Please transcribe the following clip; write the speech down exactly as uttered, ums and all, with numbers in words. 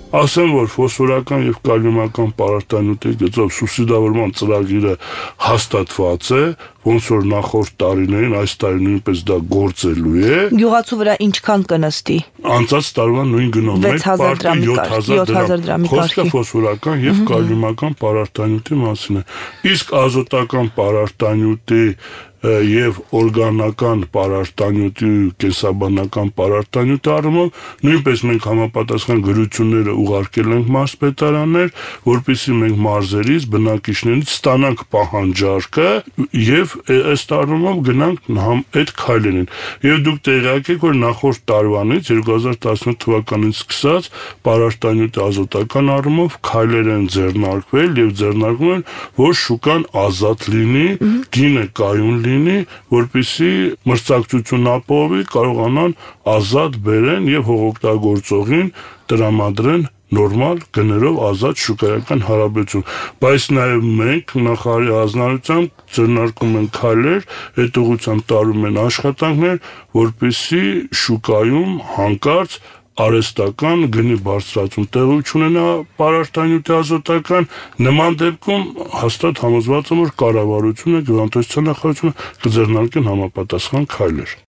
Ասեմ, որ ֆոսֆորական եւ կալիումական պարարտանյութի գծով սուբսիդավորման ծրագիրը հաստատված է, ոնց որ նախորդ տարիներին, այս տարի նույնպես դա գործելու է։ Գյուղացու վրա ինչքան կնստի։ Անցած տարվա նույն գնով վեց հազար դրամի Խոսքը ֆոսֆորական եւ կալիումական պարարտանյութի մասին է։ Իսկ ազոտական պարարտանյութի եւ օրգանական պարարտանյութի կենսաբանական պարարտանյութի առումով նույնպես մենք համապատասխան գրությունները ուղարկել ենք մարզպետարաններ, որպեսզի մենք մարզերից բնակիչներից ստանանք պահանջարկը եւ ըստ առումով գնանք այդ քայլերին։ Եվ դուք տեղյակ եք, որ նախորդ տարվանից երկու հազար տասնութ թվականից սկսած պարարտանյութի ազոտական առումով քայլեր են ձեռնարկվել եւ ձեռնարկվում են, որ շուկան ազատ լինի, գինը կայուն լինի, որպեսզի մրցակցություն ապահովի, կարողանան ազատ բերեն եւ հողօգտագործողին տրամադրեն նորմալ գներով ազատ շուկայական հարաբերություն, բայց նաեւ մենք նախարարի հանձնարարությամբ ձեռնարկում ենք քայլեր, այդ ուղղությամբ տարում են աշխատանքներ, որպեսզի շուկայում հանկարծ արհեստական գնի բարձրացում տեղի չունենա պարարտանյութի ազոտական, նման դեպքում հաստատ համոզված եմ, որ կառավարությունը, գյուղատնտեսության նախարարությունը կձեռնարկեն համապատասխան քայլեր։